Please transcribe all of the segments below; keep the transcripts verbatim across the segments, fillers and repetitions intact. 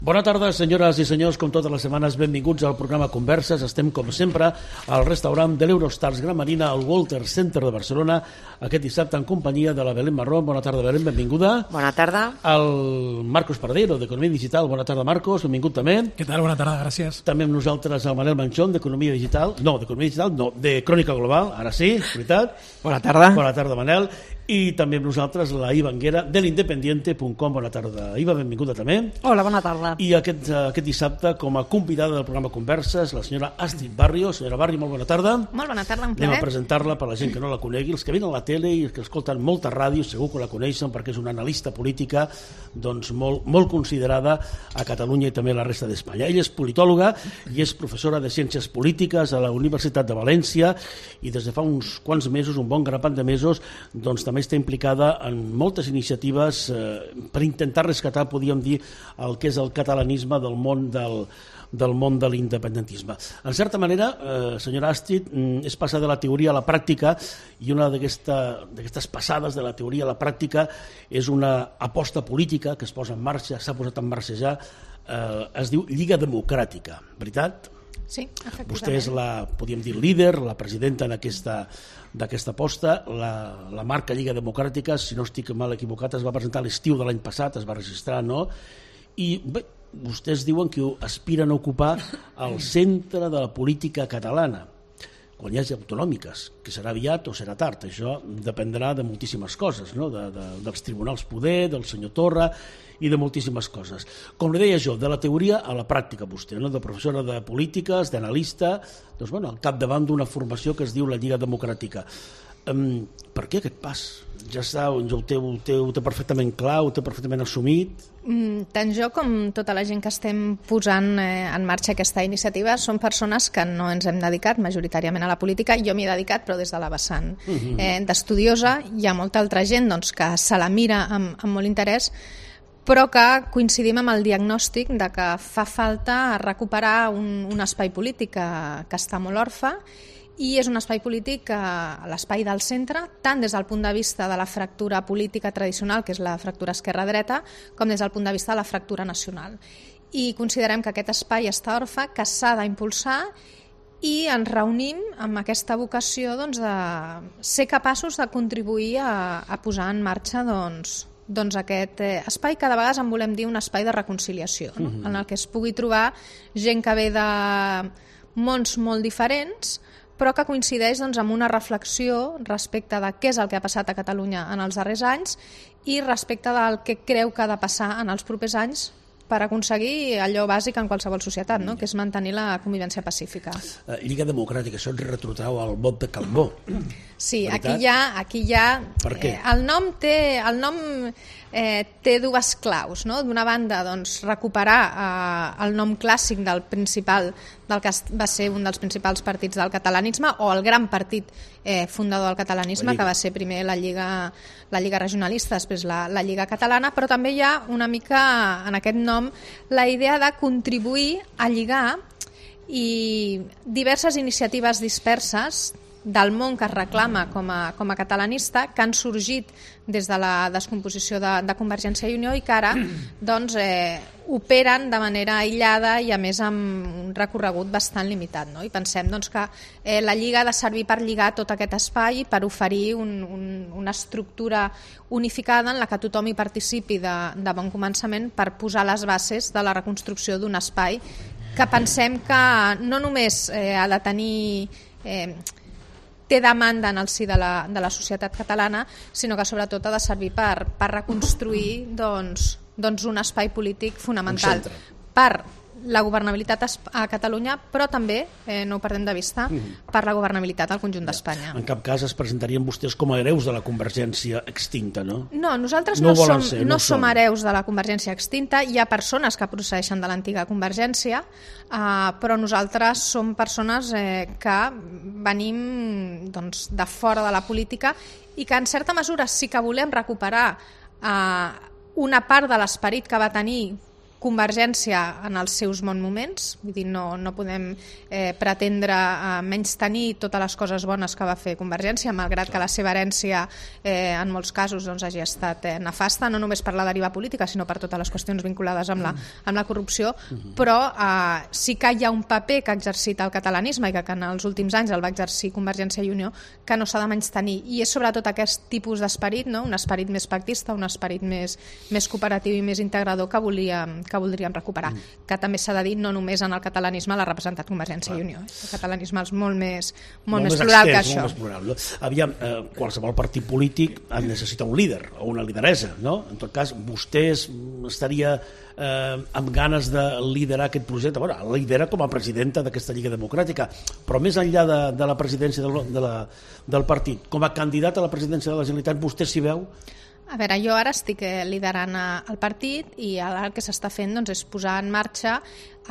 Bona tarda, senyores i senyors, com totes les setmanes, benvinguts al programa Converses. Estem, com sempre, al restaurant de l'Eurostars Gran Marina, al Walter Center de Barcelona, aquest dissabte en companyia de la Belén Marrón. Bona tarda, Belén, benvinguda. Bona tarda. El Marcos Pardero, d'Economia Digital. Bona tarda, Marcos, benvingut també. Què tal? Bona tarda, gràcies. També amb nosaltres el Manel Manchón, d'Economia Digital. No, d'Economia Digital, no, de Crònica Global, ara sí, veritat. Bona tarda. Bona tarda, Manel. I també amb nosaltres la Iva Anguera, de l'independiente punt com. Bona tarda, Iva, benvinguda també. Hola, bona tarda. I aquest, aquest dissabte, com a convidada del programa Converses, la senyora Astrid Barrio. Senyora Barrio, molt bona tarda. Molt bona tarda, un plaer. Anem a plaer. presentar-la per la gent que no la conegui. Els que venen a la tele i els que escolten molta ràdio segur que la coneixen perquè és una analista política doncs, molt, molt considerada a Catalunya i també a la resta d'Espanya. Ella és politòloga i és professora de Ciències Polítiques a la Universitat de València i des de fa uns quants mesos, un bon grapat de mesos, doncs també està implicada en moltes iniciatives eh, per intentar rescatar, podríem dir, el que és el catalanisme del món del, del món de l'independentisme. En certa manera, eh, senyora Astrid, és passar de la teoria a la pràctica i una d'aquestes passades de la teoria a la pràctica és una aposta política que es posa en marxa, s'ha posat en marxa ja, eh, es diu Lliga Democràtica, veritat? Sí, efectivament. Vostè és la, podríem dir, líder, la presidenta en aquesta d'aquesta aposta. La, la marca Lliga Democràtica, si no estic mal equivocat, es va presentar a l'estiu de l'any passat, es va registrar, no? I bé, vostès diuen que aspiren a ocupar el centre de la política catalana quan hi hagi autonòmiques, que serà aviat o serà tard. Això dependrà de moltíssimes coses, no? de, de, dels tribunals poder, del senyor Torra i de moltíssimes coses. Com li deia jo, de la teoria a la pràctica vostè, no? De professora de polítiques, d'analista, doncs, bueno, al capdavant d'una formació que es diu la Lliga Democràtica. Um, per què aquest pas? Ja està, ho té, ho, té, ho té perfectament clar, ho té perfectament assumit? Mm, tant jo com tota la gent que estem posant eh, en marxa aquesta iniciativa són persones que no ens hem dedicat majoritàriament a la política. Jo m'hi he dedicat, però des de la vessant eh, d'estudiosa. Hi ha molta altra gent doncs, que se la mira amb, amb molt interès, però que coincidim amb el diagnòstic de que fa falta recuperar un, un espai polític que, que està molt orfe, i és un espai polític, a l'espai del centre, tant des del punt de vista de la fractura política tradicional, que és la fractura esquerra-dreta, com des del punt de vista de la fractura nacional. I considerem que aquest espai està orfe, que s'ha d'impulsar, i ens reunim amb aquesta vocació doncs, de ser capaços de contribuir a, a posar en marxa doncs, doncs aquest eh, espai que de vegades en volem dir un espai de reconciliació, no? Mm-hmm. En el que es pugui trobar gent que ve de mons molt diferents, però que coincideix doncs, amb una reflexió respecte de què és el que ha passat a Catalunya en els darrers anys i respecte del que creu que ha de passar en els propers anys per aconseguir allò bàsic en qualsevol societat, no? Que és mantenir la convivència pacífica. Uh, Lliga Democràtica, això ens retrotrau al vot de Calbó. Sí, veritat? aquí hi ha... Aquí hi ha per què? Eh, el nom té... El nom, eh, té dues claus, no? D'una banda, doncs, recuperar eh, el nom clàssic del principal, del que va ser un dels principals partits del catalanisme, o el gran partit eh, fundador del catalanisme, que va ser primer la Lliga, la Lliga Regionalista, després la, la Lliga Catalana, però també hi ha una mica en aquest nom la idea de contribuir a lligar i diverses iniciatives disperses del món que es reclama com a, com a catalanista, que han sorgit des de la descomposició de, de Convergència i Unió i que ara doncs, eh, operen de manera aïllada i a més amb un recorregut bastant limitat. No? I pensem doncs, que eh, la Lliga ha de servir per lligar tot aquest espai, per oferir un, un, una estructura unificada en la que tothom hi participi de, de bon començament per posar les bases de la reconstrucció d'un espai que pensem que no només eh, ha de tenir... Eh, té demanda en el si de la, de la societat catalana, sinó que sobretot ha de servir per, per reconstruir doncs, doncs un espai polític fonamental per la governabilitat a Catalunya, però també, eh, no ho perdem de vista, mm. per la governabilitat al conjunt d'Espanya. En cap cas es presentarien vostès com a hereus de la Convergència extinta, no? No, nosaltres no, no, som, ser, no, no som hereus de la Convergència extinta. Hi ha persones que procedeixen de l'antiga Convergència, eh, però nosaltres som persones eh, que venim doncs, de fora de la política i que en certa mesura sí que volem recuperar eh, una part de l'esperit que va tenir Convergència en els seus bons moments, vull dir, no, no podem eh, pretendre eh, menys tenir totes les coses bones que va fer Convergència, malgrat que la seva herència eh, en molts casos doncs, hagi estat eh, nefasta, no només per la deriva política, sinó per totes les qüestions vinculades amb la, amb la corrupció, però eh, sí que hi ha un paper que ha exercit el catalanisme i que, que en els últims anys el va exercir Convergència i Unió, que no s'ha de menystenir, i és sobretot aquest tipus d'esperit, no? Un esperit més pactista, un esperit més, més cooperatiu i més integrador que volíem que voldríem recuperar, mm. que també s'ha de dir no només en el catalanisme l'ha representat Convergència ah. i Unió. El catalanisme és molt més, molt molt més, més plural extens, que això. Molt més plural, no? Aviam, eh, qualsevol partit polític necessita un líder o una lideresa, no? En tot cas, vostè estaria eh, amb ganes de liderar aquest projecte. Bueno, lidera com a presidenta d'aquesta Lliga Democràtica, però més enllà de, de la presidència del, de la, del partit, com a candidat a la presidència de la Generalitat, vostè s'hi veu? A veure, jo ara estic liderant el partit i ara el que s'està fent doncs, és posar en marxa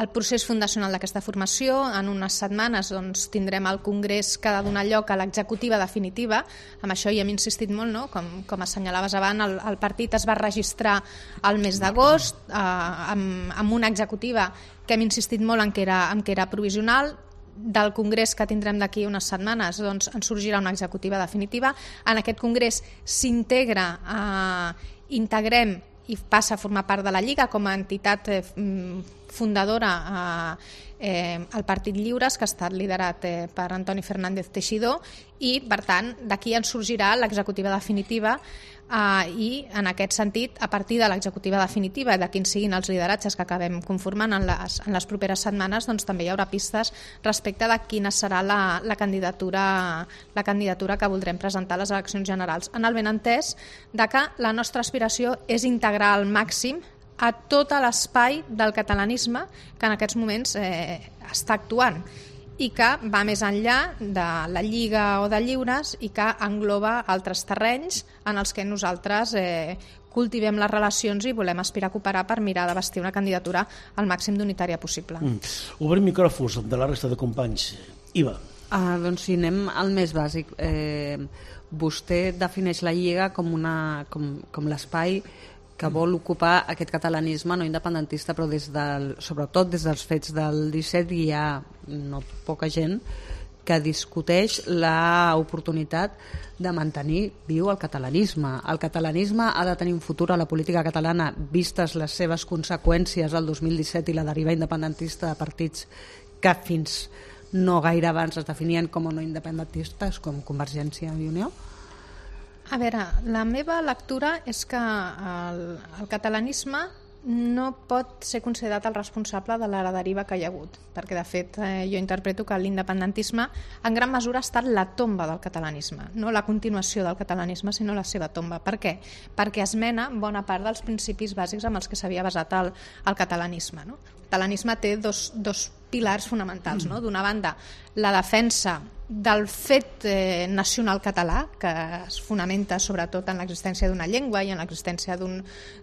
el procés fundacional d'aquesta formació. En unes setmanes doncs, tindrem el congrés que ha de donar lloc a l'executiva definitiva. Amb això hi hem insistit molt, no? com, com assenyalaves abans, el, el partit es va registrar al mes d'agost eh, amb, amb una executiva que hem insistit molt en que era, en que era provisional. Del congrés que tindrem d'aquí unes setmanes doncs, en sorgirà una executiva definitiva. En aquest congrés s'integra, eh, integrem i passa a formar part de la Lliga com a entitat eh, fundadora eh, eh, el Partit Lliures, que ha estat liderat eh, per Antoni Fernández Teixidor, i per tant d'aquí en sorgirà l'executiva definitiva. Uh, i en aquest sentit, a partir de l'executiva definitiva de quins siguin els lideratges que acabem conformant en les, en les properes setmanes, doncs també hi haurà pistes respecte de quina serà la, la, candidatura, la candidatura que voldrem presentar a les eleccions generals, en el benentès de que la nostra aspiració és integrar al màxim a tot l'espai del catalanisme que en aquests moments eh, està actuant, i que va més enllà de la Lliga o de Lliures i que engloba altres terrenys en els que nosaltres eh, cultivem les relacions i volem aspirar a cooperar per mirar de vestir una candidatura al màxim d'unitària possible. Mm. Obrim micròfons de la resta de companys. Iva. Ah, doncs si anem al més bàsic. Eh, vostè defineix la Lliga com, una, com, com l'espai que vol ocupar aquest catalanisme no independentista, però des del, sobretot des dels fets del disset hi ha no poca gent que discuteix l'oportunitat de mantenir viu el catalanisme. El catalanisme ha de tenir un futur a la política catalana vistes les seves conseqüències al dos mil disset i la deriva independentista de partits que fins no gaire abans es definien com a no independentistes, com Convergència i Unió. A veure, la meva lectura és que el, el catalanisme no pot ser considerat el responsable de la deriva que hi ha hagut, perquè de fet eh, jo interpreto que l'independentisme en gran mesura ha estat la tomba del catalanisme, no la continuació del catalanisme, sinó la seva tomba. Per què? Perquè esmena bona part dels principis bàsics amb els que s'havia basat el, el catalanisme. No? El catalanisme té dos, dos pilars fonamentals. No? D'una banda, la defensa del fet eh, nacional català, que es fonamenta sobretot en l'existència d'una llengua i en l'existència d'un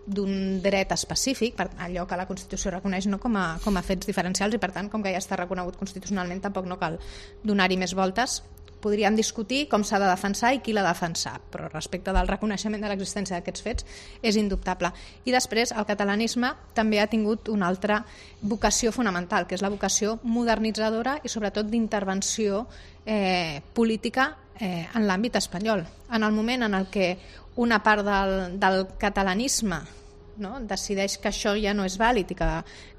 d'un dret específic, per allò que la Constitució reconeix no com a, com a fets diferencials, i per tant, com que ja està reconegut constitucionalment, tampoc no cal donar-hi més voltes. Podríem discutir com s'ha de defensar i qui l'ha de defensar, però respecte del reconeixement de l'existència d'aquests fets és indubtable. I després el catalanisme també ha tingut una altra vocació fonamental, que és la vocació modernitzadora i sobretot d'intervenció eh, política eh, en l'àmbit espanyol. En el moment en el que una part del, del catalanisme no? decideix que això ja no és vàlid i que,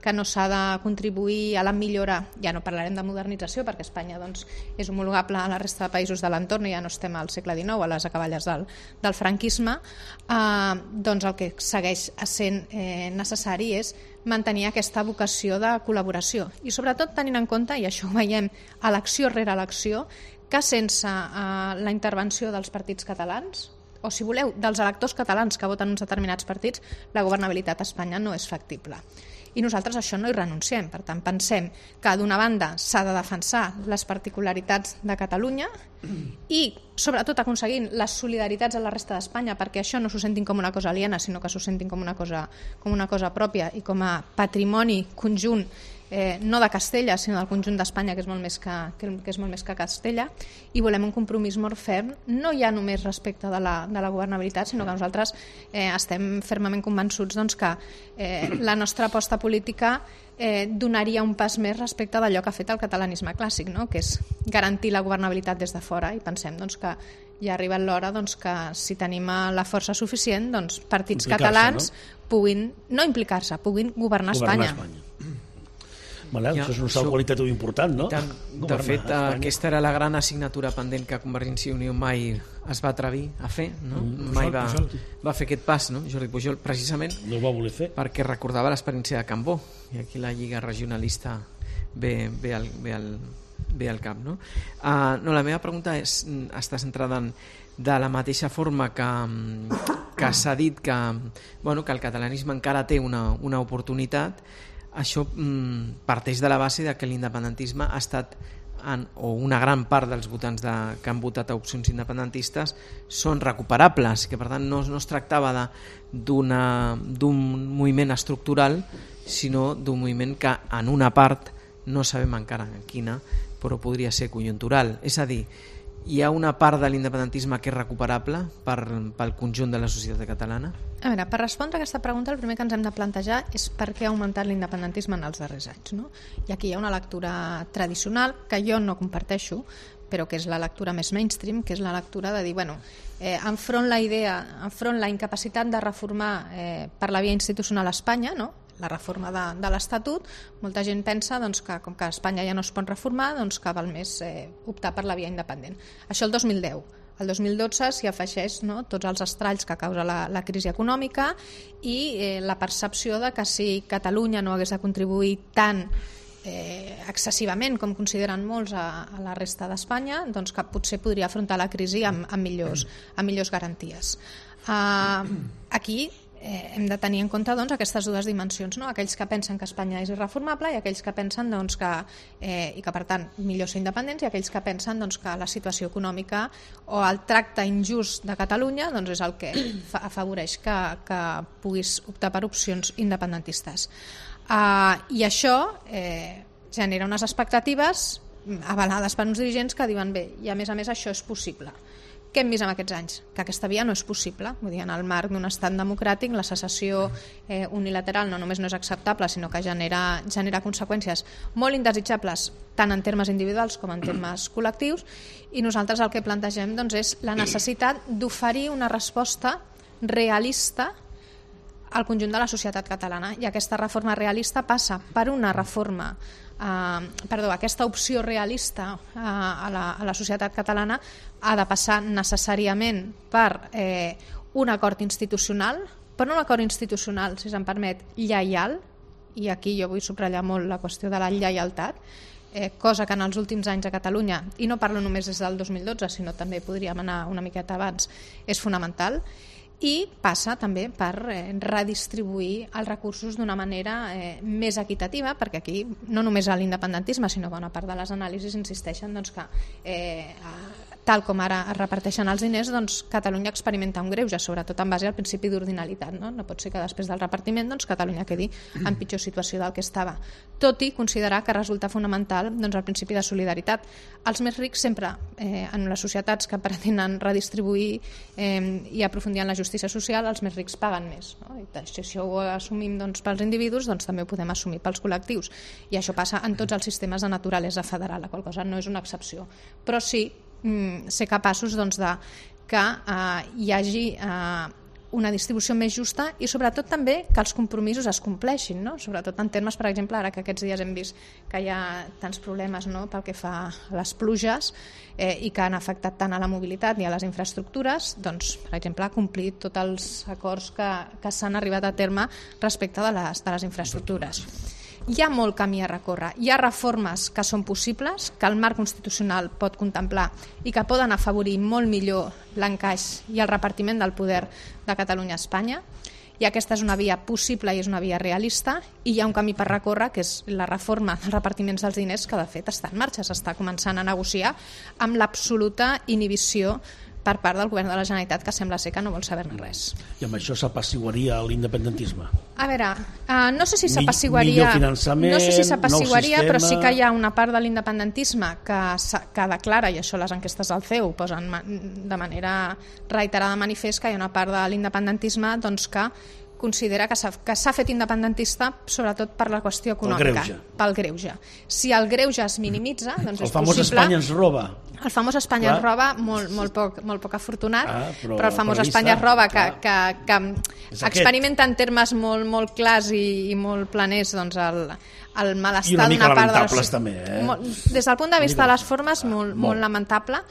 que no s'ha de contribuir a la millora, ja no parlarem de modernització perquè Espanya doncs, és homologable a la resta de països de l'entorn i ja no estem al segle dinou, a les acaballes del, del franquisme, eh, doncs el que segueix sent eh, necessari és mantenir aquesta vocació de col·laboració i sobretot tenint en compte, i això ho veiem elecció rere elecció, que sense eh, la intervenció dels partits catalans, o si voleu, dels electors catalans que voten uns determinats partits, la governabilitat a Espanya no és factible. I nosaltres a això no hi renunciem. Per tant, pensem que d'una banda s'ha de defensar les particularitats de Catalunya i sobretot aconseguint les solidaritats a la resta d'Espanya perquè això no s'ho sentin com una cosa aliena, sinó que s'ho sentin com una cosa, com una cosa pròpia i com a patrimoni conjunt eh, no de Castella, sinó del conjunt d'Espanya, que és molt més que, que, que és molt més que Castella, i volem un compromís molt ferm, no ja només respecte de la, de la governabilitat, sinó que nosaltres eh, estem fermament convençuts doncs, que eh, la nostra aposta política eh, donaria un pas més respecte d'allò que ha fet el catalanisme clàssic, no? Que és garantir la governabilitat des de fora, i pensem doncs, que ja ha arribat l'hora doncs, que si tenim la força suficient, doncs, partits catalans no? puguin, no implicar-se, puguin governar, governar Espanya. Espanya. Manel, ja, això és un salt qualitatiu important, no? De, de fet, Espanya. Aquesta era la gran assignatura pendent que Convergència i Unió mai es va atrevir a fer, no? Mm, mai va, va fer aquest pas, no? Jordi Pujol, precisament no ho va voler fer. Perquè recordava l'experiència de Cambó, i aquí la Lliga Regionalista ve, ve, al, ve, al, ve al cap, no? Uh, no, la meva pregunta és, està centrada en de la mateixa forma que, que s'ha dit que, bueno, que el catalanisme encara té una, una oportunitat. Això mm, parteix de la base de que l'independentisme ha estat, en, o una gran part dels votants de, que han votat a opcions independentistes són recuperables, que per tant no, no es tractava d'un moviment estructural, sinó d'un moviment que en una part, no sabem encara en quina, però podria ser conjuntural. És a dir, hi ha una part de l'independentisme que és recuperable per, pel conjunt de la societat catalana? A veure, per respondre a aquesta pregunta el primer que ens hem de plantejar és per què ha augmentat l'independentisme en els darrers anys, no? I aquí hi ha una lectura tradicional que jo no comparteixo, però que és la lectura més mainstream, que és la lectura de dir, bueno, eh, enfront la idea, enfront la incapacitat de reformar eh, per la via institucional a Espanya, no? La reforma de, de l'Estatut, molta gent pensa doncs, que com que Espanya ja no es pot reformar, doncs que val més eh, optar per la via independent. Això el dos mil deu. El dos mil dotze s'hi afegeix, no, tots els estralls que causa la, la crisi econòmica i eh, la percepció de que si Catalunya no hagués de contribuir tant eh, excessivament com consideren molts a, a la resta d'Espanya, doncs que potser podria afrontar la crisi amb, amb, millors, amb millors garanties. Uh, aquí Eh, hem de tenir en compte doncs, aquestes dues dimensions, no? Aquells que pensen que Espanya és irreformable i aquells que pensen doncs, que, eh, i que per tant millor ser independents, i aquells que pensen doncs, que la situació econòmica o el tracte injust de Catalunya doncs, és el que fa, afavoreix que, que puguis optar per opcions independentistes. Uh, I això eh, genera unes expectatives avalades per uns dirigents que diuen bé, i a més a més això és possible. Què hem vist en aquests anys? Que aquesta via no és possible. Vull dir, en el marc d'un estat democràtic la secessió eh, unilateral no només no és acceptable, sinó que genera, genera conseqüències molt indesitjables tant en termes individuals com en termes col·lectius, i nosaltres el que plantegem doncs, és la necessitat d'oferir una resposta realista al conjunt de la societat catalana, i aquesta reforma realista passa per una reforma Uh, perdó, aquesta opció realista uh, a, la, a la societat catalana ha de passar necessàriament per eh, un acord institucional, però un acord institucional, si se'm permet, lleial, i aquí jo vull subratllar molt la qüestió de la lleialtat, eh, cosa que en els últims anys a Catalunya, i no parlo només des del dos mil dotze, sinó també podríem anar una miqueta abans, és fonamental. I passa també per eh, redistribuir els recursos d'una manera eh, més equitativa, perquè aquí no només a l'independentisme sinó bona part de les anàlisis insisteixen doncs, que eh, tal com ara es reparteixen els diners, doncs Catalunya experimenta un greuge, sobretot en base al principi d'ordinalitat, no? No pot ser que després del repartiment doncs, Catalunya quedi en pitjor situació del que estava, tot i considerar que resulta fonamental doncs, el principi de solidaritat. Els més rics sempre, eh, en les societats que pretenen redistribuir eh, i aprofundir en la justícia social, els més rics paguen més, no? I si això ho assumim doncs, pels individus, doncs també ho podem assumir pels col·lectius, i això passa en tots els sistemes de naturalesa federal, la qual cosa no és una excepció, però sí mm, ser capaços doncs, de que eh, hi hagi eh, una distribució més justa i sobretot també que els compromisos es compleixin, no? Sobretot en termes, per exemple, ara que aquests dies hem vist que hi ha tants problemes, no? Pel que fa a les pluges eh, i que han afectat tant a la mobilitat i a les infraestructures, doncs, per exemple, complir tots els acords que, que s'han arribat a terme respecte de les, de les infraestructures. Hi ha molt camí a recórrer, hi ha reformes que són possibles, que el marc constitucional pot contemplar i que poden afavorir molt millor l'encaix i el repartiment del poder de Catalunya a Espanya, i aquesta és una via possible i és una via realista, i hi ha un camí per recórrer que és la reforma dels repartiments dels diners, que de fet està en marxa, s'està començant a negociar amb l'absoluta inhibició per part del govern de la Generalitat, que sembla ser que no vol saber-ne res. I amb això s'apassiguaria l'independentisme? A veure, uh, no sé si s'apassiguaria... Millor finançament, no sé si s'apassiguaria, nou però sí sistema... que hi ha una part de l'independentisme que, que declara, i això les enquestes del C E U posen de manera reiterada de manifest, que hi ha una part de l'independentisme doncs, que considera que s'ha, que s'ha fet independentista sobretot per la qüestió econòmica, greuge. pel greuge. Si el greuge es minimitza, doncs el és famós possible... Espanya ens roba. El famós Espanya ens roba, molt, molt, poc, molt poc afortunat, ah, però, però el famós però Espanya ens roba, que, que, que experimenta en termes molt, molt clars i, i molt planers doncs, el, el malestar d'una part de la... també, eh? Des del punt de vista de les formes, molt, molt, molt lamentable,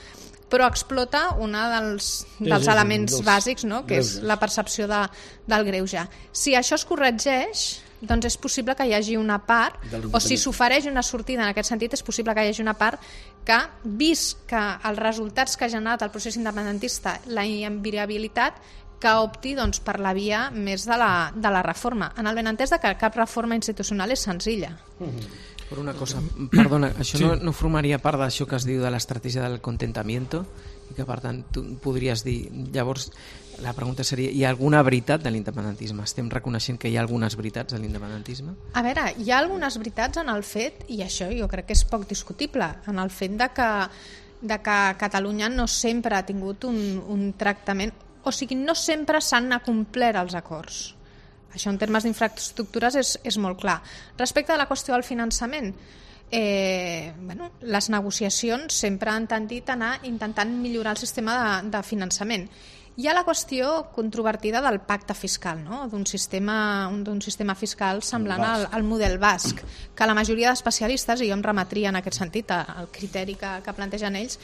però explota un dels, dels sí, sí, elements dels... bàsics, no? Que és la percepció de, del greuge. Si això es corregeix, doncs és possible que hi hagi una part, o si s'ofereix una sortida en aquest sentit, és possible que hi hagi una part que, vist que els resultats que ha generat el procés independentista, la inviabilitat, que opti doncs, per la via més de la, de la reforma, en el benentès de que cap reforma institucional és senzilla. Uh-huh. Per una cosa, perdona, això sí. no, no formaria part d'això que es diu de l'estratègia del contentamiento i que per tant tu podries dir, llavors la pregunta seria, hi ha alguna veritat de l'independentisme? Estem reconeixent que hi ha algunes veritats de l'independentisme? A veure, hi ha algunes veritats en el fet, i això jo crec que és poc discutible, en el fet de que, de que Catalunya no sempre ha tingut un, un tractament, o sigui, no sempre s'han acomplert els acords. Això en termes d'infraestructures és, és molt clar. Respecte a la qüestió del finançament, eh, bueno, les negociacions sempre han tendit a anar intentant millorar el sistema de, de finançament. Hi ha la qüestió controvertida del pacte fiscal, no? d'un sistema, d'un sistema fiscal semblant al, al model basc, que la majoria d'especialistes, i jo em remetria en aquest sentit al criteri que, que plantegen ells,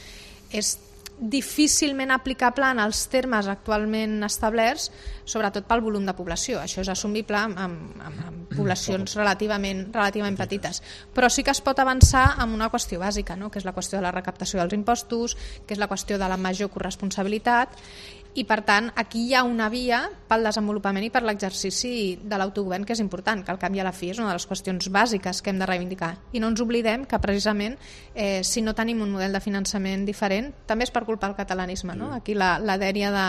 és difícilment aplicable en els termes actualment establerts, sobretot pel volum de població. Això és assumible amb, amb, amb poblacions relativament, relativament petites. Però sí que es pot avançar amb una qüestió bàsica, no? Que és la qüestió de la recaptació dels impostos, que és la qüestió de la major corresponsabilitat, i per tant aquí hi ha una via pel desenvolupament i per l'exercici de l'autogovern que és important, que al cap i a la fi és una de les qüestions bàsiques que hem de reivindicar. I no ens oblidem que precisament eh, si no tenim un model de finançament diferent també és per culpa del catalanisme, no? Aquí la, la dèria de,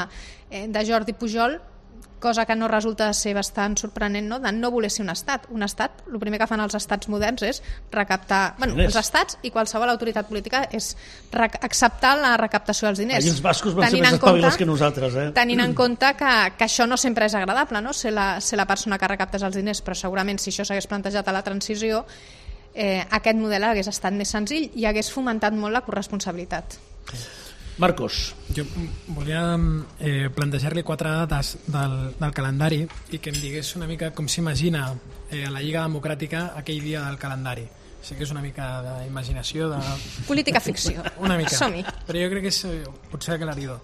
eh, de Jordi Pujol, cosa que no resulta de ser bastant sorprenent, no? De no voler ser un estat. Un estat, el primer que fan els estats moderns és recaptar... Bueno, els estats i qualsevol autoritat política és acceptar la recaptació dels diners. I els bascos van ser més espavilats que nosaltres, eh? Tenint en compte que, que això no sempre és agradable, no? Ser la, ser la persona que recaptes els diners, però segurament si això s'hagués plantejat a la transició, eh, aquest model hagués estat més senzill i hagués fomentat molt la corresponsabilitat. Marcos. Jo volia eh, plantejar-li quatre dates del, del calendari i que em digués una mica com s'imagina eh, a la Lliga Democràtica aquell dia del calendari. Sé que és una mica d'imaginació, de... política ficció. Una mica. Som-hi. Però jo crec que és potser aclaridor.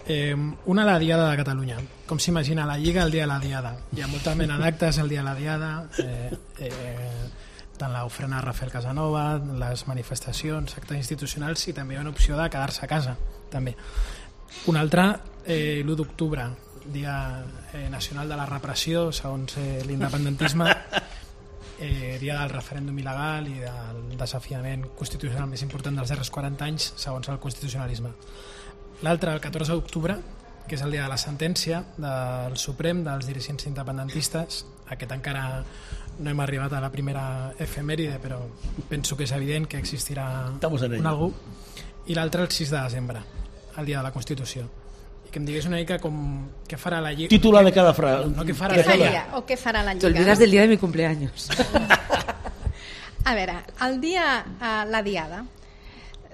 Eh, una, la Diada de Catalunya. Com s'imagina la Lliga el dia de la Diada? Hi ha molta mena d'actes el dia de la Diada, eh, eh, tant l'ofrena a Rafael Casanova, les manifestacions, actes institucionals, i també hi ha una opció de quedar-se a casa, també. Una altra, eh, l'u d'octubre, Dia eh, Nacional de la Repressió, segons eh, l'independentisme, eh, dia del referèndum il·legal i del desafiament constitucional més important dels darrers quaranta anys, segons el constitucionalisme. L'altre, el catorze d'octubre, que és el dia de la sentència del Suprem, dels dirigents independentistes. Aquest encara no hem arribat a la primera efemèride, però penso que és evident que existirà un algú. I l'altre el sis de desembre, el dia de la Constitució. I que em digués una mica com què farà la Lliga. Titular de cada frase. No, què farà què la Lliga. Faria, o què farà la Lliga. Te olvidas del dia de mi cumpleaños. A veure, el dia, uh, la Diada.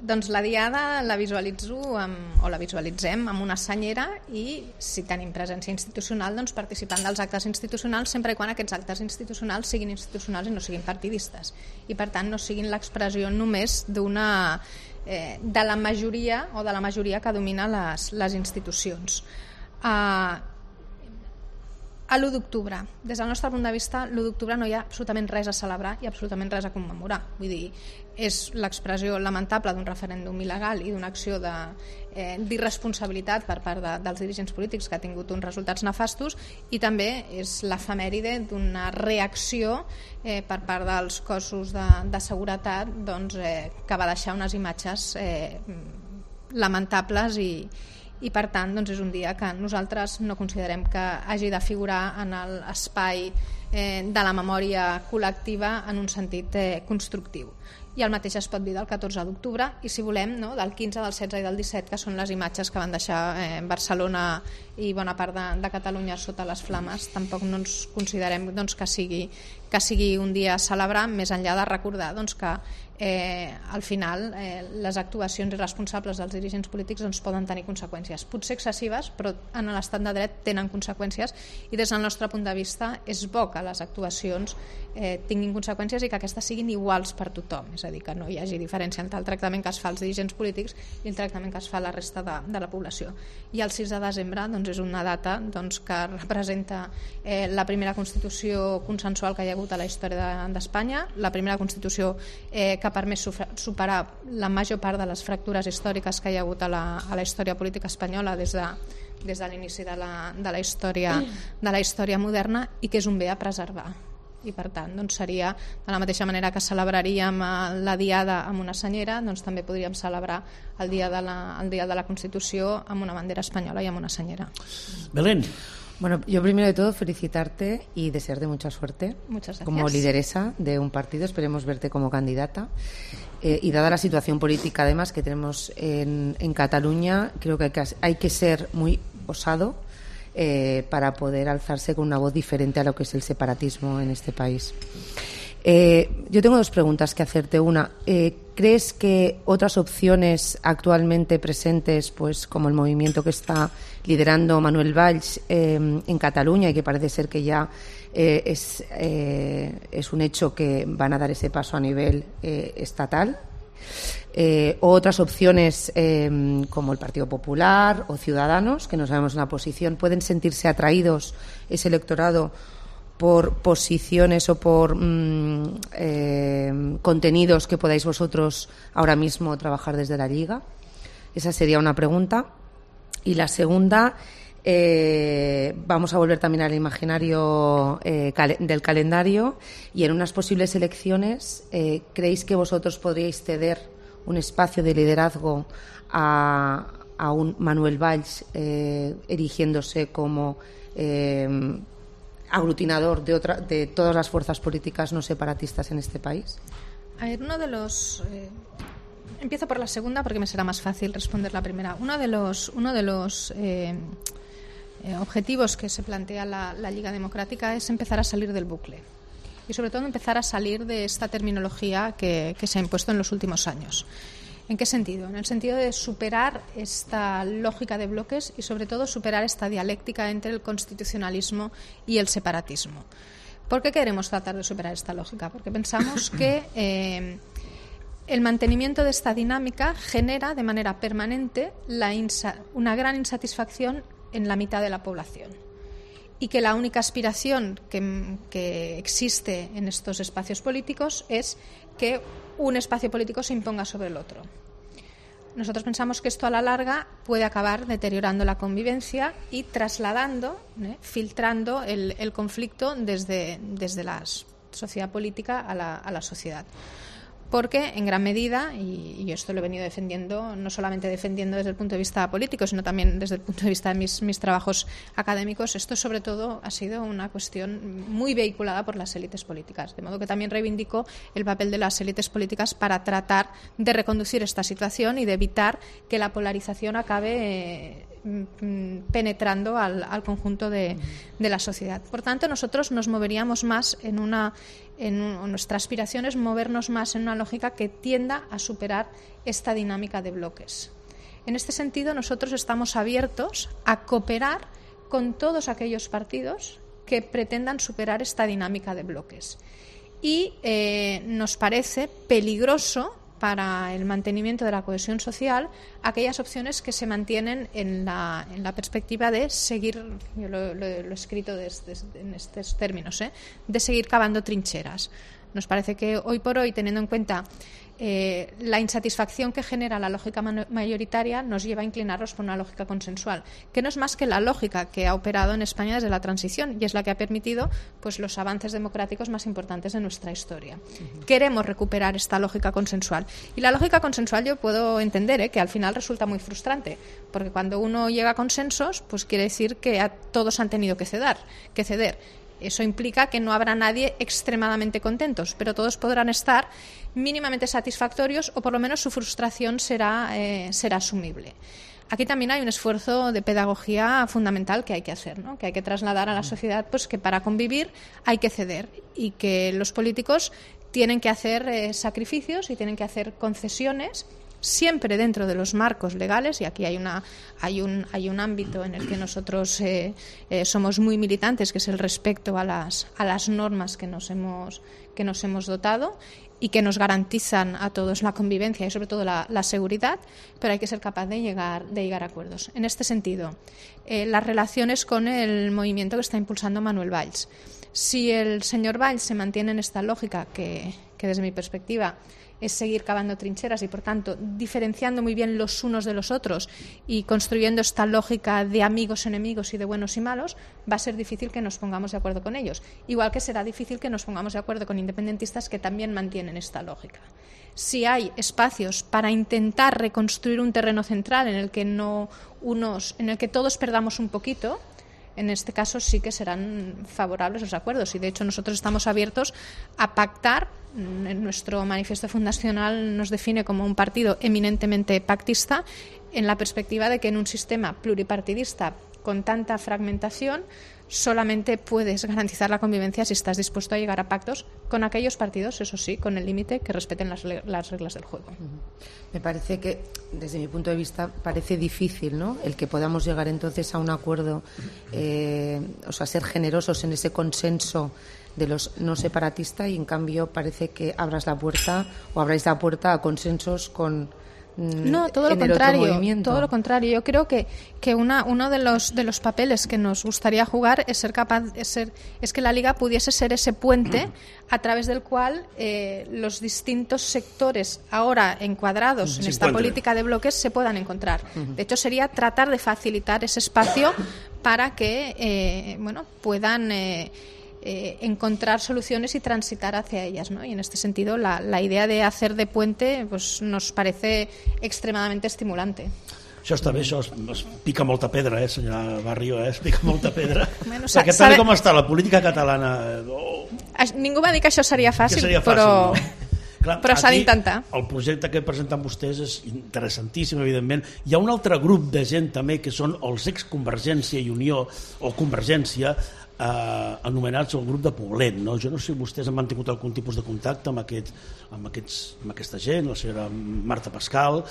Doncs la Diada la visualitzo amb, o la visualitzem amb una senyera i si tenim presència institucional doncs participant dels actes institucionals sempre i quan aquests actes institucionals siguin institucionals i no siguin partidistes i per tant no siguin l'expressió només d'una eh, de la majoria o de la majoria que domina les, les institucions. Uh, a l'u d'octubre, des del nostre punt de vista, l'u d'octubre no hi ha absolutament res a celebrar i absolutament res a commemorar. Vull dir, és l'expressió lamentable d'un referèndum il·legal i d'una acció de, eh, d'irresponsabilitat per part de, dels dirigents polítics que ha tingut uns resultats nefastos i també és l'efemèride d'una reacció eh, per part dels cossos de, de seguretat doncs, eh, que va deixar unes imatges eh, lamentables i, i per tant doncs és un dia que nosaltres no considerem que hagi de figurar en l'espai eh, de la memòria col·lectiva en un sentit eh, constructiu. I el mateix es pot dir del catorze d'octubre i, si volem, no, del quinze, del setze i del disset, que són les imatges que van deixar eh, Barcelona i bona part de, de Catalunya sota les flames. Tampoc no ens considerem doncs, que, sigui, que sigui un dia a celebrar, més enllà de recordar doncs, que eh, al final eh, les actuacions irresponsables dels dirigents polítics doncs, poden tenir conseqüències, potser excessives, però en l'estat de dret tenen conseqüències, i des del nostre punt de vista és bo que les actuacions eh, tinguin conseqüències i que aquestes siguin iguals per tothom, és a dir, que no hi hagi diferència entre el tractament que es fa als dirigents polítics i el tractament que es fa a la resta de, de la població. I el sis de desembre doncs, és una data doncs, que representa eh, la primera Constitució consensual que hi ha hagut a la història d'Espanya, la primera Constitució eh, que ha permès superar la major part de les fractures històriques que hi ha hagut a la, a la història política espanyola des de, des de l'inici de la, de, la història, de la història moderna, i que és un bé a preservar. I per tant doncs seria, de la mateixa manera que celebraríem la Diada amb una senyera, doncs també podríem celebrar el dia de la, el dia de la Constitució amb una bandera espanyola i amb una senyera. Belén. Bueno, yo primero de todo felicitarte y desearte mucha suerte. Muchas gracias. Como lideresa de un partido, esperemos verte como candidata. Eh, y dada la situación política además que tenemos en, en Cataluña, creo que hay, que hay que ser muy osado eh, para poder alzarse con una voz diferente a lo que es el separatismo en este país. Eh, yo tengo dos preguntas que hacerte. Una, eh, ¿crees que otras opciones actualmente presentes, pues como el movimiento que está liderando Manuel Valls eh, en Cataluña, y que parece ser que ya eh, es, eh, es un hecho que van a dar ese paso a nivel eh, estatal, eh, o otras opciones eh, como el Partido Popular o Ciudadanos, que no sabemos la posición, pueden sentirse atraídos ese electorado por posiciones o por mmm, eh, contenidos que podáis vosotros ahora mismo trabajar desde la Lliga? Esa sería una pregunta. Y la segunda, eh, vamos a volver también al imaginario eh, cal- del calendario, y en unas posibles elecciones, eh, ¿creéis que vosotros podríais ceder un espacio de liderazgo a, a un Manuel Valls eh, erigiéndose como eh, aglutinador de, otra, de todas las fuerzas políticas no separatistas en este país? A ver, uno de los... Eh... Empiezo por la segunda porque me será más fácil responder la primera. Uno de los, uno de los eh, eh, objetivos que se plantea la, la Lliga Democrática es empezar a salir del bucle y sobre todo empezar a salir de esta terminología que, que se ha impuesto en los últimos años. ¿En qué sentido? En el sentido de superar esta lógica de bloques y sobre todo superar esta dialéctica entre el constitucionalismo y el separatismo. ¿Por qué queremos tratar de superar esta lógica? Porque pensamos que eh, el mantenimiento de esta dinámica genera de manera permanente la insa- una gran insatisfacción en la mitad de la población, y que la única aspiración que, que existe en estos espacios políticos es que un espacio político se imponga sobre el otro. Nosotros pensamos que esto a la larga puede acabar deteriorando la convivencia y trasladando, ¿eh? filtrando el, el conflicto desde, desde la sociedad política a la, a la sociedad. Porque en gran medida, y yo esto lo he venido defendiendo, no solamente defendiendo desde el punto de vista político, sino también desde el punto de vista de mis, mis trabajos académicos, esto sobre todo ha sido una cuestión muy vehiculada por las élites políticas. De modo que también reivindico el papel de las élites políticas para tratar de reconducir esta situación y de evitar que la polarización acabe eh, penetrando al, al conjunto de, de la sociedad. Por tanto, nosotros nos moveríamos más en una... En un, nuestra aspiración es movernos más en una lógica que tienda a superar esta dinámica de bloques. En este sentido, nosotros estamos abiertos a cooperar con todos aquellos partidos que pretendan superar esta dinámica de bloques. Y eh, nos parece peligroso para el mantenimiento de la cohesión social aquellas opciones que se mantienen en la, en la perspectiva de seguir, yo lo, lo, lo he escrito des, des, en estos términos, ¿eh? de seguir cavando trincheras. Nos parece que hoy por hoy, teniendo en cuenta eh, la insatisfacción que genera la lógica mayoritaria nos lleva a inclinarnos por una lógica consensual, que no es más que la lógica que ha operado en España desde la transición y es la que ha permitido pues, los avances democráticos más importantes de nuestra historia. Uh-huh. Queremos recuperar esta lógica consensual. Y la lógica consensual yo puedo entender ¿eh? que al final resulta muy frustrante, porque cuando uno llega a consensos, pues quiere decir que a todos han tenido que ceder, que ceder. Eso implica que no habrá nadie extremadamente contentos, pero todos podrán estar mínimamente satisfactorios o por lo menos su frustración será, eh, será asumible. Aquí también hay un esfuerzo de pedagogía fundamental que hay que hacer, ¿no? Que hay que trasladar a la sociedad pues, que para convivir hay que ceder y que los políticos tienen que hacer eh, sacrificios y tienen que hacer concesiones siempre dentro de los marcos legales, y aquí hay una hay un hay un ámbito en el que nosotros eh, eh, somos muy militantes, que es el respeto a las a las normas que nos hemos que nos hemos dotado y que nos garantizan a todos la convivencia y sobre todo la, la seguridad, pero hay que ser capaz de llegar de llegar a acuerdos. En este sentido, eh, las relaciones con el movimiento que está impulsando Manuel Valls. Si el señor Valls se mantiene en esta lógica que, que desde mi perspectiva es seguir cavando trincheras y, por tanto, diferenciando muy bien los unos de los otros y construyendo esta lógica de amigos, enemigos y de buenos y malos, va a ser difícil que nos pongamos de acuerdo con ellos. Igual que será difícil que nos pongamos de acuerdo con independentistas que también mantienen esta lógica. Si hay espacios para intentar reconstruir un terreno central en el que no unos, en el que todos perdamos un poquito, en este caso sí que serán favorables los acuerdos y de hecho nosotros estamos abiertos a pactar. En nuestro manifiesto fundacional nos define como un partido eminentemente pactista en la perspectiva de que en un sistema pluripartidista con tanta fragmentación solamente puedes garantizar la convivencia si estás dispuesto a llegar a pactos con aquellos partidos, eso sí, con el límite que respeten las, las reglas del juego. Me parece que, desde mi punto de vista, parece difícil, ¿no?, el que podamos llegar entonces a un acuerdo, eh, o sea, ser generosos en ese consenso de los no separatistas y, en cambio, parece que abras la puerta o abráis la puerta a consensos con... No, todo lo contrario, todo lo contrario. Yo creo que, que una, uno de los de los papeles que nos gustaría jugar es ser capaz, es, ser, es que la Liga pudiese ser ese puente a través del cual eh, los distintos sectores ahora encuadrados en esta política de bloques se puedan encontrar. De hecho, sería tratar de facilitar ese espacio para que eh, bueno puedan eh, Eh, encontrar soluciones y transitar hacia ellas, ¿no? Y en este sentido la, la idea de hacer de puente pues, nos parece extremadamente estimulante. Això està bé, això es, es pica molta pedra, eh, senyora Barrio, eh? Es pica molta pedra. Bueno, perquè tal com està la política catalana... Oh, ningú va dir que això seria fàcil, seria fàcil però, no? Clar, però s'ha d'intentar. El projecte que presenten vostès és interessantíssim, evidentment. Hi ha un altre grup de gent també que són els ex-Convergència i Unió, o Convergència, eh, anomenats el grup de Poblet, no? Jo no sé si vostès han mantingut algun tipus de contacte amb, aquest, amb, aquests, amb aquesta gent, la senyora Marta Pascal,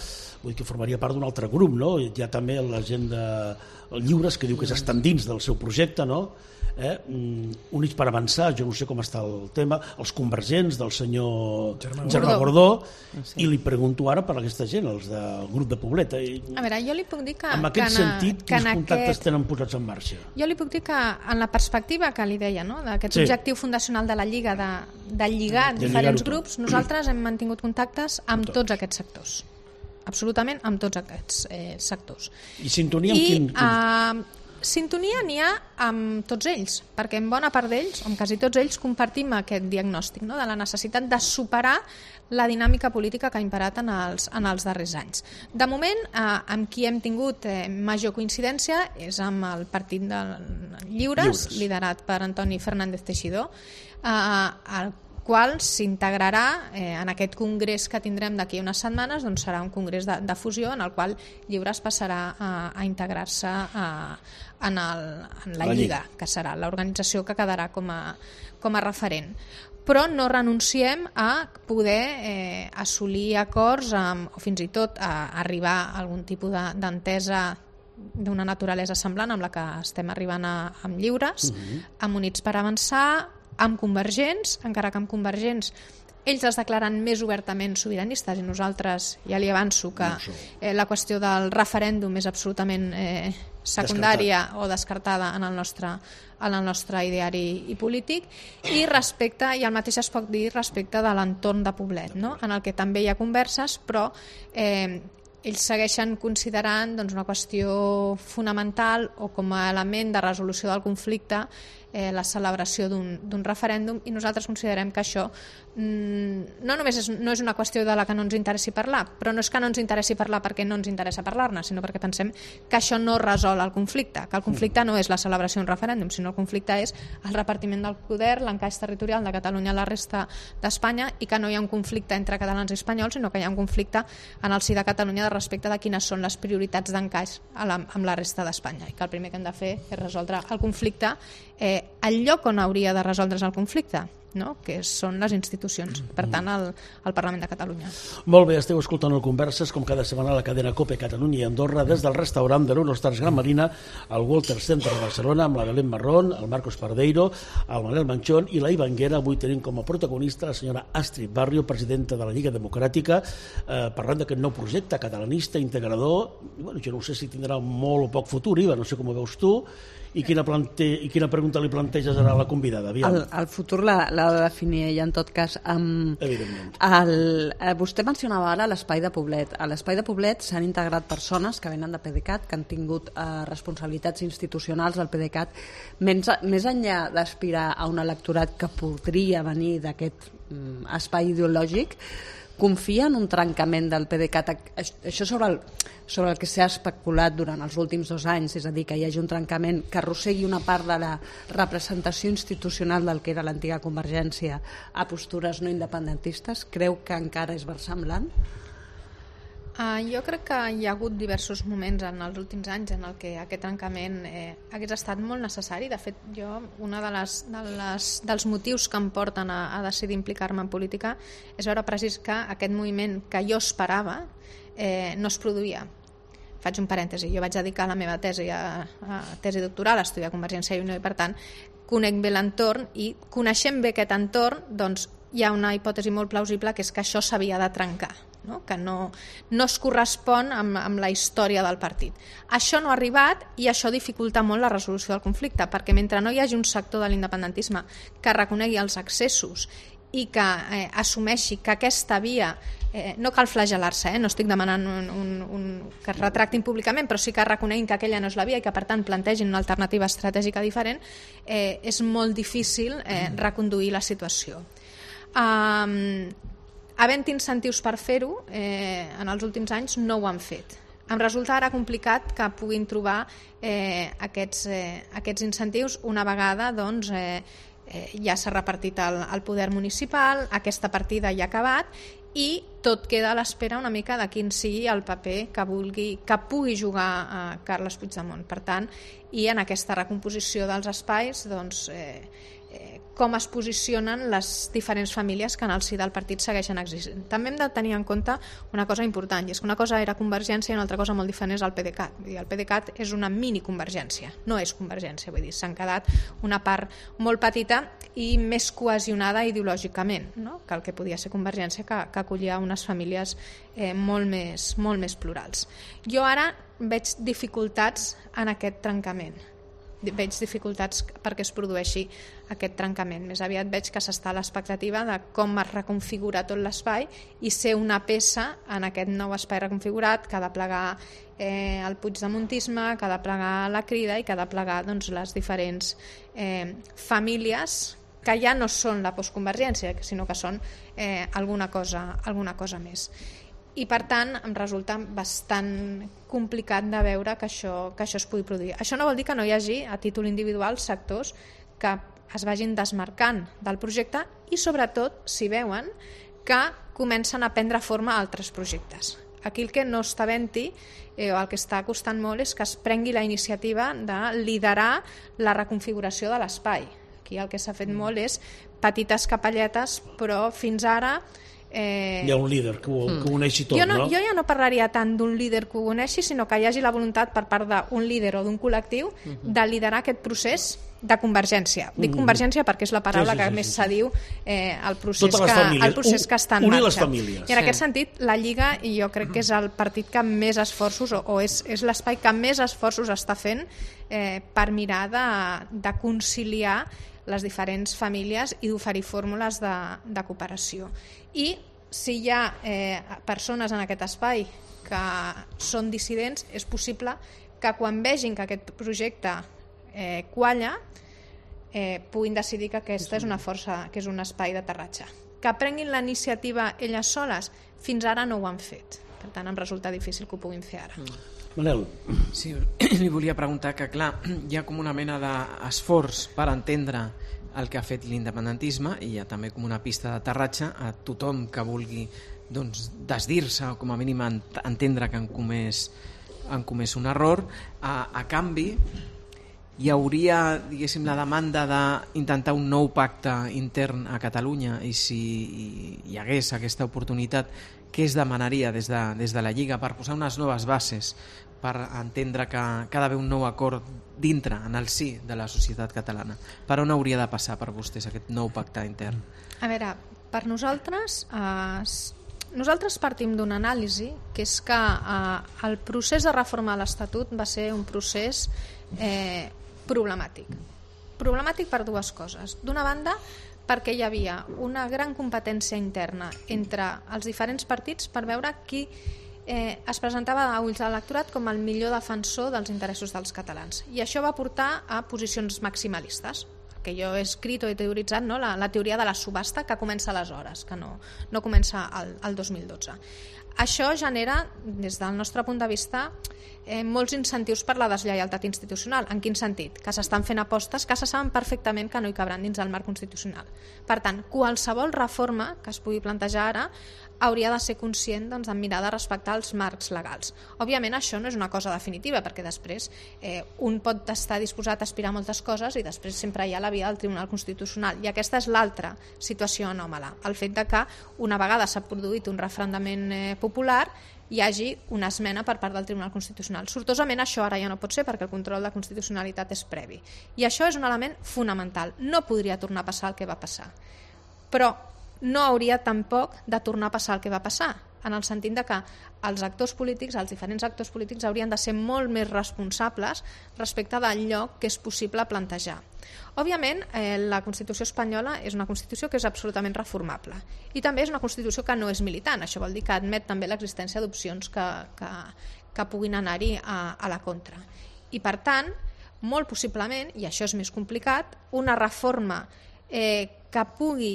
vull dir que formaria part d'un altre grup, no? Hi ha també la gent de Lliures que diu que estan dins del seu projecte, no? Eh? Units per avançar, jo no sé com està el tema, els convergents del senyor Germà Gordó, i li pregunto ara per aquesta gent, els del grup de Poblet. A veure, jo li puc dir que... En aquest que sentit, que quins contactes aquest... tenen posats en marxa? Jo li puc dir que en la perspectiva que li deia, no? d'aquest sí. objectiu fundacional de la Lliga, de, de lligar de diferents grups, nosaltres hem mantingut contactes amb tots, tots aquests sectors. Absolutament amb tots aquests eh, sectors. I sintonia amb I, quin... Uh, sintonia n'hi ha amb tots ells, perquè en bona part d'ells, o amb quasi tots ells, compartim aquest diagnòstic, no? de la necessitat de superar la dinàmica política que ha imperat en els, en els darrers anys. De moment, eh, amb qui hem tingut eh, major coincidència és amb el Partit de Lliures, Lliures. liderat per Antoni Fernández Teixidor, eh, el qual s'integrarà eh, en aquest congrés que tindrem d'aquí unes setmanes, doncs serà un congrés de, de fusió en el qual Lliures passarà a, a integrar-se a, en, el, en la, la Lliga, Lliga, que serà l'organització que quedarà com a, com a referent. Però no renunciem a poder eh, assolir acords amb, o fins i tot a arribar a algun tipus d'entesa d'una naturalesa semblant amb la que estem arribant a, amb Lliures, uh-huh. amb Units per Avançar, amb Convergents, encara que amb Convergents ells es declaren més obertament sobiranistes i nosaltres ja li avanço que eh, la qüestió del referèndum és absolutament eh, secundària o descartada en el nostre en el nostre ideari i polític, i respecte, i el mateix es pot dir respecte de l'entorn de Poblet, no? En el que també hi ha converses, però eh, ells segueixen considerant doncs, una qüestió fonamental o com a element de resolució del conflicte eh, la celebració d'un referèndum, i nosaltres considerem que això mm, no només és, no és una qüestió de la que no ens interessi parlar, però no és que no ens interessi parlar perquè no ens interessa parlar-ne, sinó perquè pensem que això no resol el conflicte, que el conflicte no és la celebració d'un referèndum, sinó el conflicte és el repartiment del poder, l'encaix territorial de Catalunya a la resta d'Espanya, i que no hi ha un conflicte entre catalans i espanyols, sinó que hi ha un conflicte en el si de Catalunya de respecte de quines són les prioritats d'encaix amb la resta d'Espanya, i que el primer que hem de fer és resoldre el conflicte eh, al lloc on hauria de resoldre's el conflicte, no? Que són les institucions, per tant el, el Parlament de Catalunya. Molt bé, esteu escoltant el Converses com cada setmana a la cadena COPE Catalunya i Andorra des del restaurant de l'Uno Stars Gran Marina al Walter Center de Barcelona amb la Belén Marrón, el Marcos Pardeiro, el Manel Manchón i la Ivanguera. Avui tenim com a protagonista la senyora Astrid Barrio, presidenta de la Lliga Democràtica, eh, parlant d'aquest nou projecte catalanista, integrador. Bueno, jo no sé si tindrà molt o poc futur, Iva, no sé com ho veus tu, i quina, plante... i quina pregunta li planteges a la convidada? El, el futur l'ha de definir ella, en tot cas. Um, Evidentment. El, eh, vostè mencionava ara l'Espai de Poblet. A l'Espai de Poblet s'han integrat persones que venen de PDeCAT, que han tingut eh, responsabilitats institucionals del PDeCAT. Més, més enllà d'aspirar a un electorat que podria venir d'aquest um, espai ideològic, confia en un trencament del PDeCAT, això sobre el, sobre el que s'ha especulat durant els últims dos anys, és a dir, que hi hagi un trencament que arrossegui una part de la representació institucional del que era l'antiga Convergència a postures no independentistes? Creu que encara és versemblant? Uh, jo crec que hi ha hagut diversos moments en els últims anys en el que aquest trencament eh, hagués estat molt necessari. De fet, jo, un de les, de les, dels motius que em porten a, a decidir implicar-me en política és veure precís que aquest moviment que jo esperava eh, no es produïa. Faig un parèntesi, jo vaig dedicar la meva tesi a, a tesi doctoral a estudiar Convergència i Unió, i per tant conec bé l'entorn, i coneixent bé aquest entorn, doncs hi ha una hipòtesi molt plausible, que és que això s'havia de trencar, no? Que no, no es correspon amb, amb la història del partit. Això no ha arribat, i això dificulta molt la resolució del conflicte, perquè mentre no hi hagi un sector de l'independentisme que reconegui els excessos i que eh, assumeixi que aquesta via, eh, no cal flagel·lar-se, eh? No estic demanant un, un, un, que es retractin públicament, però sí que reconeguin que aquella no és la via i que per tant plantegin una alternativa estratègica diferent, eh, és molt difícil eh, reconduir la situació. Um, havent incentius per fer-ho, eh, en els últims anys no ho han fet. Em resulta ara complicat que puguin trobar eh, aquests, eh, aquests incentius una vegada doncs, eh, eh, ja s'ha repartit el, el poder municipal, aquesta partida ja ha acabat, i tot queda a l'espera una mica de quin sigui el paper que, vulgui, que pugui jugar a Carles Puigdemont. Per tant, i en aquesta recomposició dels espais, doncs, eh, eh, com es posicionen les diferents famílies que en el si del partit segueixen existint. També hem de tenir en compte una cosa important, i és que una cosa era Convergència i una altra cosa molt diferent és el PDeCAT. Vull dir, el PDeCAT és una mini Convergència, no és Convergència, vull dir, s'han quedat una part molt petita i més cohesionada ideològicament, no? Que el que podia ser Convergència, que, que acollia unes famílies eh, molt, més, molt més plurals. Jo ara veig dificultats en aquest trencament, veig dificultats perquè es produeixi aquest trencament. Més aviat veig que s'està a l'expectativa de com es reconfigura tot l'espai i ser una peça en aquest nou espai reconfigurat que ha de plegar eh, el puigdemontisme, que ha de plegar la Crida i que ha de plegar doncs, les diferents eh, famílies que ja no són la postconvergència, sinó que són eh, alguna cosa, alguna cosa més. I per tant em resulta bastant complicat de veure que això, que això es pugui produir. Això no vol dir que no hi hagi a títol individual sectors que es vagin desmarcant del projecte i sobretot si veuen que comencen a prendre forma altres projectes. Aquí el que no està havent-hi eh, o el que està costant molt és que es prengui la iniciativa de liderar la reconfiguració de l'espai. Aquí el que s'ha fet molt és petites capelletes, però fins ara Eh, hi ha un líder que ho, que ho uneixi tot, jo no, no? Jo ja no parlaria tant d'un líder que ho uneixi, sinó que hi hagi la voluntat per part d'un líder o d'un col·lectiu de liderar aquest procés de convergència. Dic convergència perquè és la paraula Sí, sí, que sí, més sí. se diu eh, al procés, Totes les que, famílies. el procés que està en Unir marxa. les famílies. I en Sí. aquest sentit, la Lliga, i jo crec que és el partit que més esforços, o, o és, és l'espai que més esforços està fent eh, per mirar de, de conciliar les diferents famílies i d'oferir fórmules de, de cooperació. I si hi ha eh, persones en aquest espai que són dissidents, és possible que quan vegin que aquest projecte eh, qualla, eh, puguin decidir que aquesta és una força, que és un espai d'aterratge. Que prenguin la iniciativa elles soles, fins ara no ho han fet. Per tant, em resulta difícil que ho puguin fer ara. Manel. Sí, li volia preguntar que, clar, hi ha com una mena d'esforç per entendre el que ha fet l'independentisme i hi ha també com una pista d'aterratge a tothom que vulgui doncs, desdir-se o com a mínim entendre que han comès, han comès un error. A, a canvi, hi hauria, diguéssim, la demanda d'intentar un nou pacte intern a Catalunya i si hi hagués aquesta oportunitat, què es demanaria des de, des de la Lliga per posar unes noves bases per entendre que, que ha d'haver un nou acord dintre, en el si de la societat catalana? Per on hauria de passar per vostès aquest nou pacte intern? A veure, per nosaltres, eh, nosaltres partim d'una anàlisi que és que eh, el procés de reforma de l'Estatut va ser un procés eh, problemàtic. Problemàtic per dues coses. D'una banda, perquè hi havia una gran competència interna entre els diferents partits per veure qui eh, es presentava a ulls de l'electorat com el millor defensor dels interessos dels catalans. I això va portar a posicions maximalistes, que jo he escrit o he teoritzat, no? la, la teoria de la subhasta que comença aleshores, que no, no comença al, al dos mil dotze. Això genera, des del nostre punt de vista, eh, molts incentius per la deslleialtat institucional. En quin sentit? Que s'estan fent apostes que se saben perfectament que no hi cabran dins el marc constitucional. Per tant, qualsevol reforma que es pugui plantejar ara hauria de ser conscient doncs, de mirar de respectar els marcs legals. Òbviament això no és una cosa definitiva, perquè després eh, un pot estar disposat a aspirar a moltes coses i després sempre hi ha la via del Tribunal Constitucional. I aquesta és l'altra situació anòmala, el fet de que una vegada s'ha produït un referendament eh, popular hi hagi una esmena per part del Tribunal Constitucional. Sortosament això ara ja no pot ser perquè el control de constitucionalitat és previ. I això és un element fonamental. No podria tornar a passar el que va passar. Però no hauria tampoc de tornar a passar el que va passar, en el sentit de que els actors polítics, els diferents actors polítics haurien de ser molt més responsables respecte d'allò que és possible plantejar. Òbviament, eh, la Constitució espanyola és una Constitució que és absolutament reformable i també és una Constitució que no és militant, això vol dir que admet també l'existència d'opcions que, que, que puguin anar-hi a, a la contra. I per tant, molt possiblement, i això és més complicat, una reforma eh, que pugui,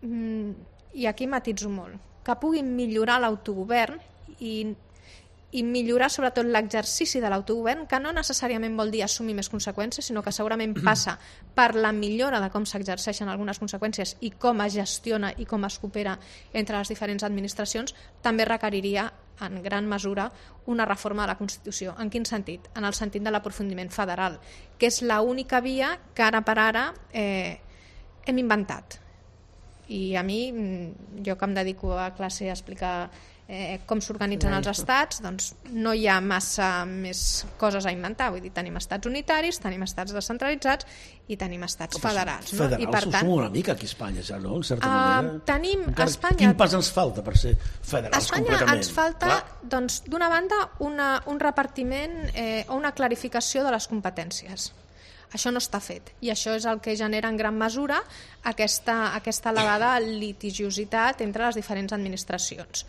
i aquí matitzo molt, que pugui millorar l'autogovern i, i millorar sobretot l'exercici de l'autogovern, que no necessàriament vol dir assumir més conseqüències, sinó que segurament passa per la millora de com s'exerceixen algunes conseqüències i com es gestiona i com es coopera entre les diferents administracions, també requeriria en gran mesura una reforma de la Constitució. En quin sentit? En el sentit de l'aprofundiment federal, que és l'única via que ara per ara eh, hem inventat. I a mi, jo que em dedico a classe a explicar eh, com s'organitzen els estats, doncs no hi ha massa més coses a inventar. Vull dir, tenim estats unitaris, tenim estats descentralitzats i tenim estats federals. No? Federals I per ho tant, som una mica aquí a Espanya, ja, no? En certa uh, manera. Tenim Encara, Espanya... Quin pas ens falta per ser federals a Espanya completament? ens falta, Clar. doncs, d'una banda, una, un repartiment eh, o una clarificació de les competències. Això no està fet i això és el que genera en gran mesura aquesta, aquesta elevada litigiositat entre les diferents administracions.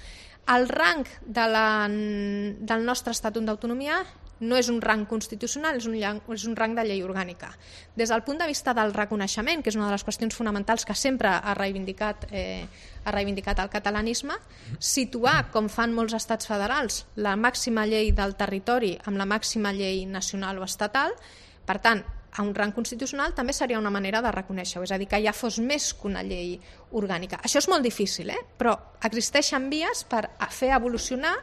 El rang de la, del nostre Estatut d'Autonomia no és un rang constitucional, és un, és un rang de llei orgànica. Des del punt de vista del reconeixement, que és una de les qüestions fonamentals que sempre ha reivindicat, eh, ha reivindicat el catalanisme, situar, com fan molts estats federals, la màxima llei del territori amb la màxima llei nacional o estatal, per tant, a un rang constitucional també seria una manera de reconèixer-ho, és a dir, que ja fos més que una llei orgànica. Això és molt difícil, eh? Però existeixen vies per fer evolucionar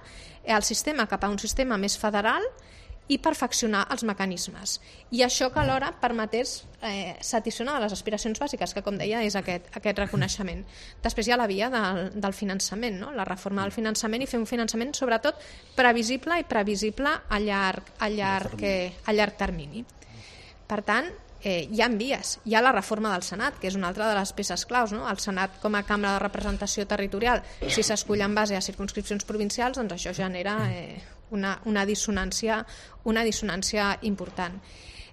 el sistema cap a un sistema més federal i perfeccionar els mecanismes. I això que alhora permetés eh, satisfer les aspiracions bàsiques, que com deia és aquest, aquest reconeixement. Després hi ha la via del, del finançament, no? La reforma del finançament i fer un finançament sobretot previsible i previsible a llarg, a llarg, eh, a llarg termini. Per tant, eh, hi ha vies. Hi ha la reforma del Senat, que és una altra de les peces claus, no? El Senat com a cambra de representació territorial, si s'escull en base a circumscripcions provincials, doncs això genera eh, una, una, dissonància, una dissonància important.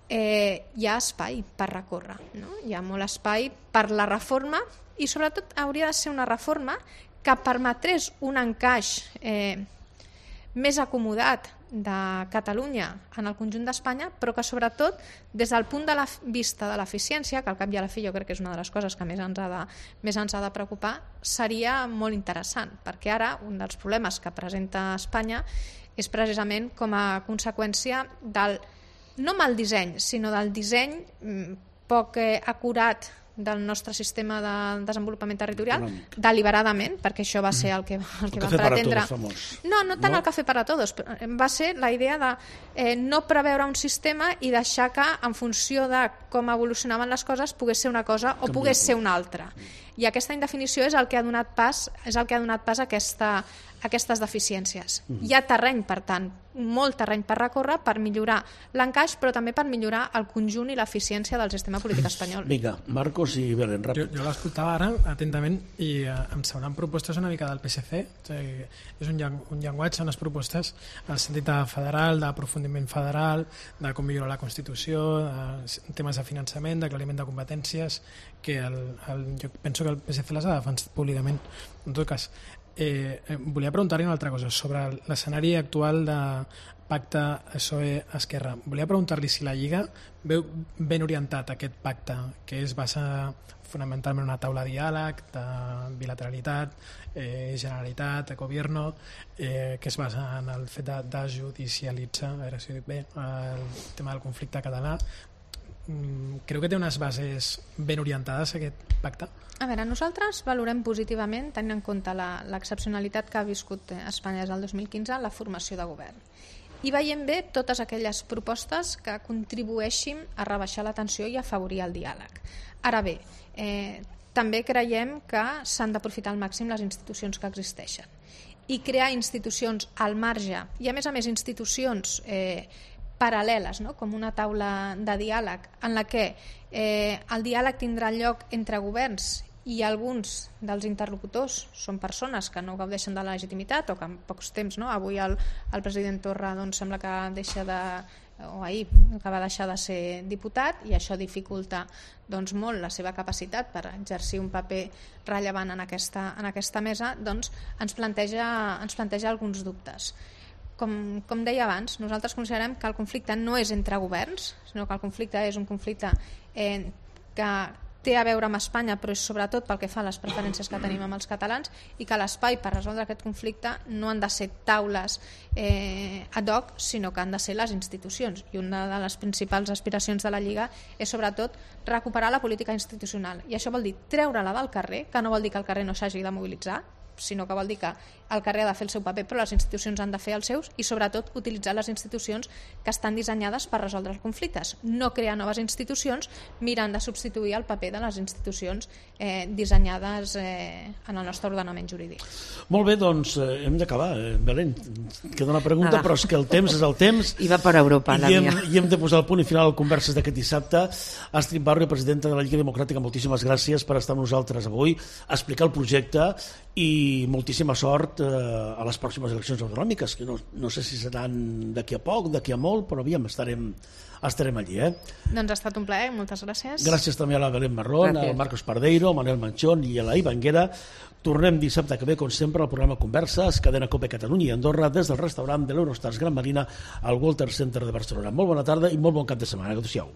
Eh, hi ha espai per recórrer, no? Hi ha molt espai per la reforma i sobretot hauria de ser una reforma que permetrés un encaix eh, més acomodat de Catalunya en el conjunt d'Espanya, però que sobretot des del punt de la vista de l'eficiència, que al cap i a la fi jo crec que és una de les coses que més ens ha de, més ens ha de preocupar, seria molt interessant, perquè ara un dels problemes que presenta Espanya és precisament com a conseqüència del, no mal disseny, sinó del disseny poc eh, acurat del nostre sistema de desenvolupament territorial, econòmic, deliberadament, perquè això va ser el que, el que el van pretendre. No, no tant no? el café para todos, va ser la idea de eh, no preveure un sistema i deixar que en funció de com evolucionaven les coses pogués ser una cosa o pogués ser una altra. I aquesta indefinició és el que ha donat pas, és el que ha donat pas a aquesta, a aquestes deficiències. Mm. Hi ha terreny, per tant, molt terreny per recórrer per millorar l'encaix, però també per millorar el conjunt i l'eficiència del sistema polític espanyol. Vinga, Marcos i Belén, ràpid. Jo, jo l'escoltava ara atentament i eh, em semblen propostes una mica del P S C. O sigui, és un, llen un llenguatge, unes propostes en el sentit de federal, d'aprofundiment federal, de com millorar la Constitució, de temes de finançament, d'aclariment de competències, que el, el, jo penso que el P S C les ha defensat públicament. En tot cas, eh, eh, volia preguntar-li una altra cosa sobre l'escenari actual de pacte P S O E-Esquerra. Volia preguntar-li si la Lliga veu ben orientat aquest pacte, que es basa fonamentalment en una taula de diàleg, de bilateralitat, eh, Generalitat, Gobierno, eh, que es basa en el fet de, de judicialitzar, a veure si ho dic bé, el tema del conflicte català. Creu que té unes bases ben orientades aquest pacte? A veure, nosaltres valorem positivament, tenint en compte l'excepcionalitat que ha viscut Espanya des del dos mil quinze, la formació de govern. I veiem bé totes aquelles propostes que contribueixin a rebaixar la tensió i a afavorir el diàleg. Ara bé, eh, també creiem que s'han d'aprofitar al màxim les institucions que existeixen i crear institucions al marge i a més a més institucions eh, paral·leles, no? Com una taula de diàleg en la que eh, el diàleg tindrà lloc entre governs i alguns dels interlocutors són persones que no gaudeixen de la legitimitat o que en pocs temps, no? Avui el, el president Torra doncs, sembla que deixa de o ahir que va deixar de ser diputat i això dificulta doncs, molt la seva capacitat per exercir un paper rellevant en aquesta, en aquesta mesa, doncs ens planteja, ens planteja alguns dubtes. Com, com deia abans, nosaltres considerem que el conflicte no és entre governs, sinó que el conflicte és un conflicte eh, que té a veure amb Espanya, però és sobretot pel que fa a les preferències que tenim amb els catalans i que l'espai per resoldre aquest conflicte no han de ser taules eh, ad hoc, sinó que han de ser les institucions. I una de les principals aspiracions de la Lliga és sobretot recuperar la política institucional. I això vol dir treure-la del carrer, que no vol dir que el carrer no s'hagi de mobilitzar, sinó que vol dir que el carrer ha de fer el seu paper però les institucions han de fer els seus i sobretot utilitzar les institucions que estan dissenyades per resoldre els conflictes, no crear noves institucions mirant de substituir el paper de les institucions eh, dissenyades eh, en el nostre ordenament jurídic. Molt bé, doncs eh, hem d'acabar, eh, Belén, queda una pregunta, Nada. Però és que el temps és el temps i va per Europa, i la hem, mia. i hem de posar el punt i final al Converses d'aquest dissabte. Astrid Barrio, presidenta de la Lliga Democràtica, moltíssimes gràcies per estar amb nosaltres avui, explicar el projecte i moltíssima sort eh, a les pròximes eleccions autonòmiques, que no, no sé si seran d'aquí a poc, d'aquí a molt, però aviam, estarem, estarem allí. Eh? Doncs ha estat un plaer, moltes gràcies. Gràcies també a la Belén Marrón, al Marcos Pardeiro, al Manel Manchón i a la Ivanguera. Tornem dissabte que ve, com sempre, al programa Converses, cadena COPE Catalunya i Andorra, des del restaurant de l'Eurostars Gran Marina al Walter Center de Barcelona. Molt bona tarda i molt bon cap de setmana. Adéu-siau.